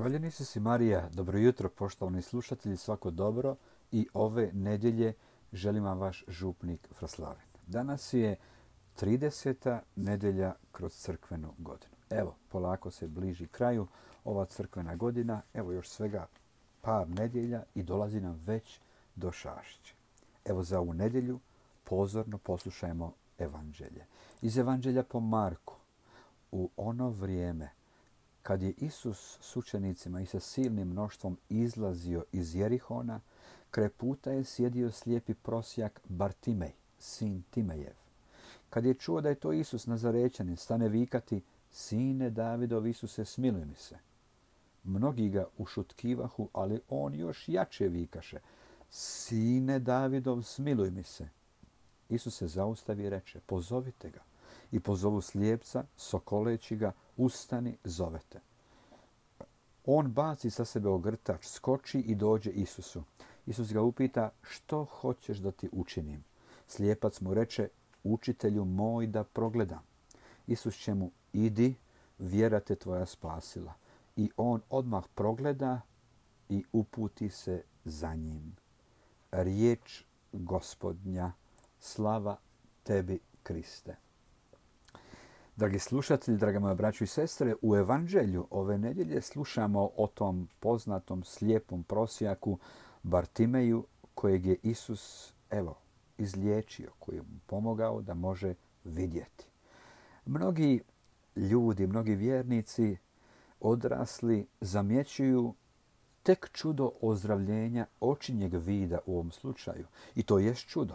Hvaljeni si Marija, dobro jutro poštovani slušatelji, svako dobro i ove nedjelje želim vam vaš župnik Fraslaven. Danas je 30. nedjelja kroz crkvenu godinu. Evo, polako se bliži kraju ova crkvena godina, evo još svega par nedjelja i dolazi nam već do Šašće. Evo za ovu nedjelju pozorno poslušajmo evanđelje. Iz evanđelja po Marku, u ono vrijeme kad je Isus s učenicima i sa silnim mnoštvom izlazio iz Jerihona, kraj puta je sjedio slijepi prosjak Bartimej, sin Timejev. Kad je čuo da je to Isus Nazarećanin, stane vikati: "Sine Davidov, Isuse, smiluj mi se." Mnogi ga ušutkivahu, ali on još jače vikaše: "Sine Davidov, smiluj mi se." Isus se zaustavi i reče: "Pozovite ga." I pozovu slijepca, sokoleći ga: "Ustani, zovete." On baci sa sebe ogrtač, skoči i dođe Isusu. Isus ga upita: "Što hoćeš da ti učinim?" Slijepac mu reče: "Učitelju moj, da progledam." Isus će mu: "Idi, vjera te tvoja spasila." I on odmah progleda i uputi se za njim. Riječ Gospodnja, slava tebi, Kriste. Dragi slušatelji, draga moja braćo i sestre, u evanđelju ove nedjelje slušamo o tom poznatom slijepom prosjaku Bartimeju kojeg je Isus, izliječio, koji je mu pomogao da može vidjeti. Mnogi ljudi, mnogi vjernici odrasli zamjećuju tek čudo ozdravljenja očinjeg vida u ovom slučaju. I to jest čudo.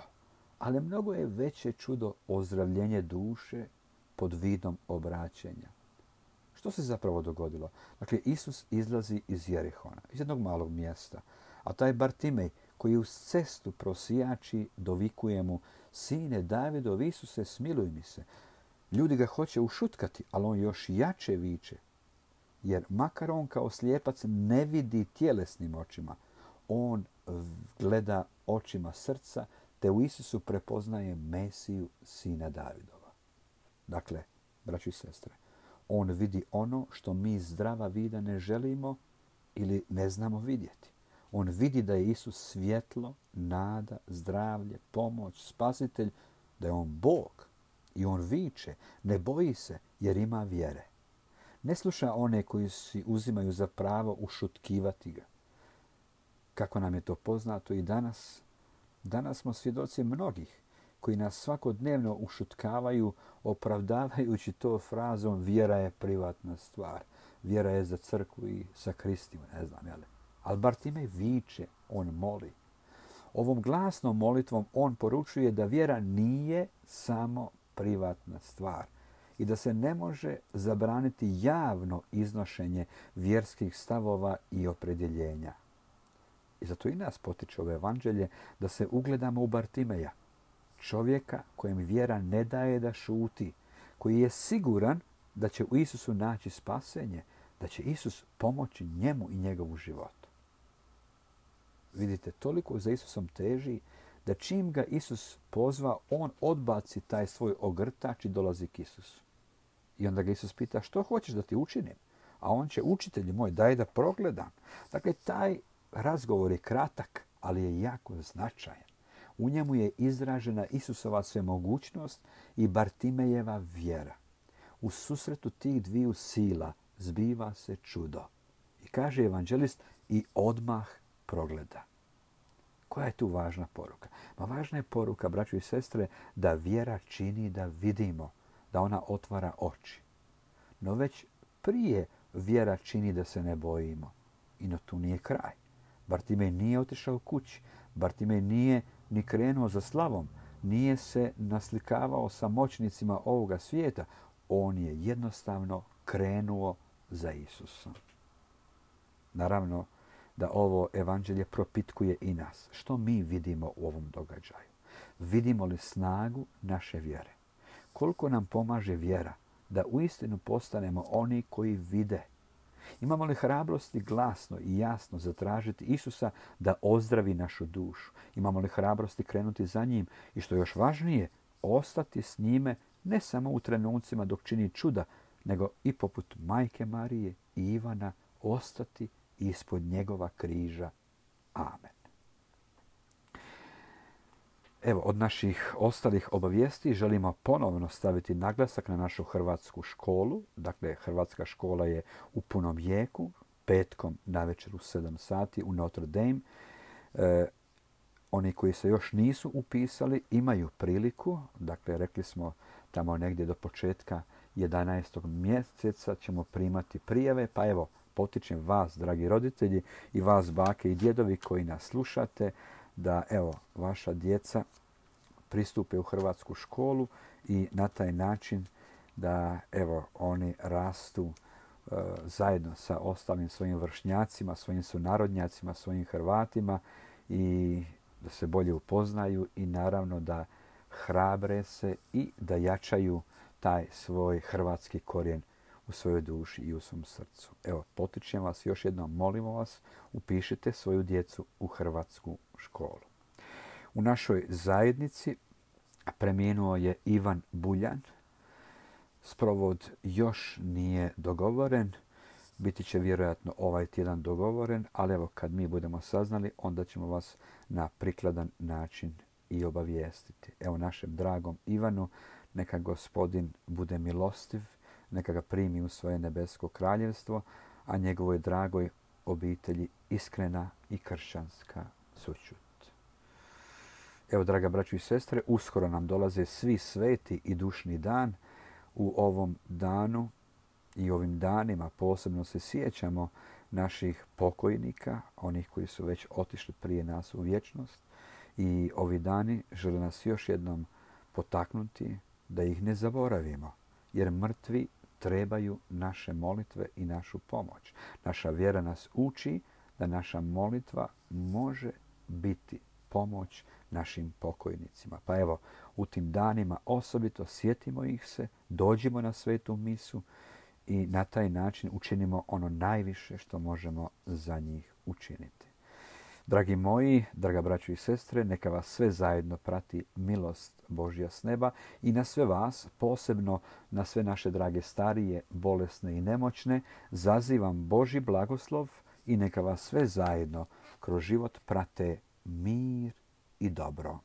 Ali mnogo je veće čudo ozdravljenje duše pod vidom obraćenja. Što se zapravo dogodilo? Dakle, Isus izlazi iz Jerihona, iz jednog malog mjesta. A taj Bartimej koji uz cestu prosijači dovikuje mu: "Sine Davidov, Isuse, smiluj mi se." Ljudi ga hoće ušutkati, ali on još jače viče. Jer makar on kao slijepac ne vidi tjelesnim očima, on gleda očima srca, te u Isusu prepoznaje Mesiju, sina Davidova. Dakle, braći i sestre, on vidi ono što mi zdrava vida ne želimo ili ne znamo vidjeti. On vidi da je Isus svjetlo, nada, zdravlje, pomoć, spasitelj, da je on Bog. I on viče, ne boji se jer ima vjere. Ne sluša one koji si uzimaju za pravo ušutkivati ga. Kako nam je to poznato i danas. Danas smo svjedoci mnogih koji nas svakodnevno ušutkavaju, opravdavajući to frazom: "Vjera je privatna stvar. Vjera je za crkvu i sakristiju, ne znam, jel?" Ali Bartimej viče, on moli. Ovom glasnom molitvom on poručuje da vjera nije samo privatna stvar i da se ne može zabraniti javno iznošenje vjerskih stavova i opredjeljenja. I zato i nas potiče ovo evanđelje da se ugledamo u Bartimeja, čovjeka kojem vjera ne daje da šuti, koji je siguran da će u Isusu naći spasenje, da će Isus pomoći njemu i njegovu životu. Vidite, toliko za Isusom teži da čim ga Isus pozva, on odbaci taj svoj ogrtač i dolazi k Isusu. I onda ga Isus pita: "Što hoćeš da ti učinim?" A on će: "Učitelju moj, daj da progledam." Dakle, taj razgovor je kratak, ali je jako značajan. U njemu je izražena Isusova svemogućnost i Bartimejeva vjera. U susretu tih dviju sila zbiva se čudo. I kaže evanđelist: "I odmah progleda." Koja je tu važna poruka? Važna je poruka, braćo i sestre, da vjera čini da vidimo, da ona otvara oči. No već prije vjera čini da se ne bojimo. I no tu nije kraj. Bartimej nije otišao kući. Bartimej nije ni krenuo za slavom. Nije se naslikavao sa moćnicima ovoga svijeta. On je jednostavno krenuo za Isusom. Naravno da ovo evanđelje propitkuje i nas. Što mi vidimo u ovom događaju? Vidimo li snagu naše vjere? Koliko nam pomaže vjera da uistinu postanemo oni koji vide? Imamo li hrabrosti glasno i jasno zatražiti Isusa da ozdravi našu dušu? Imamo li hrabrosti krenuti za njim i, što je još važnije, ostati s njime ne samo u trenucima dok čini čuda, nego i poput majke Marije i Ivana ostati ispod njegova križa. Amen. Evo, od naših ostalih obavijesti želimo ponovno staviti naglasak na našu hrvatsku školu. Dakle, hrvatska škola je u punom jeku, petkom navečer u 7 sati u Notre Dame. Oni koji se još nisu upisali imaju priliku, dakle rekli smo tamo negdje do početka 11. mjeseca ćemo primati prijave, pa evo potičem vas, dragi roditelji, i vas, bake i djedovi koji nas slušate, da evo vaša djeca pristupe u hrvatsku školu i na taj način da evo oni rastu zajedno sa ostalim svojim vršnjacima, svojim sunarodnjacima, svojim Hrvatima i da se bolje upoznaju i naravno da hrabre se i da jačaju taj svoj hrvatski korijen u svojoj duši i u svom srcu. Evo, potičem vas još jednom, molimo vas, upišite svoju djecu u hrvatsku školu. U našoj zajednici preminuo je Ivan Buljan. Sprovod još nije dogovoren. Biti će vjerojatno ovaj tjedan dogovoren, ali evo kad mi budemo saznali, onda ćemo vas na prikladan način i obavijestiti. Evo našem dragom Ivanu, neka Gospodin bude milostiv, neka ga primi u svoje nebesko kraljevstvo, a njegovoj dragoj obitelji iskrena i kršćanska sućut. Evo, draga braćo i sestre, uskoro nam dolaze svi sveti i dušni dan. U ovom danu i ovim danima posebno se sjećamo naših pokojnika, onih koji su već otišli prije nas u vječnost. I ovi dani žele nas još jednom potaknuti da ih ne zaboravimo, jer mrtvi trebaju naše molitve i našu pomoć. Naša vjera nas uči da naša molitva može biti pomoć našim pokojnicima. Pa evo, u tim danima osobito sjetimo ih se, dođimo na svetu misu i na taj način učinimo ono najviše što možemo za njih učiniti. Dragi moji, draga braćo i sestre, neka vas sve zajedno prati milost Božja s neba i na sve vas, posebno na sve naše drage starije, bolesne i nemoćne, zazivam Božji blagoslov i neka vas sve zajedno kroz život prate mir i dobro.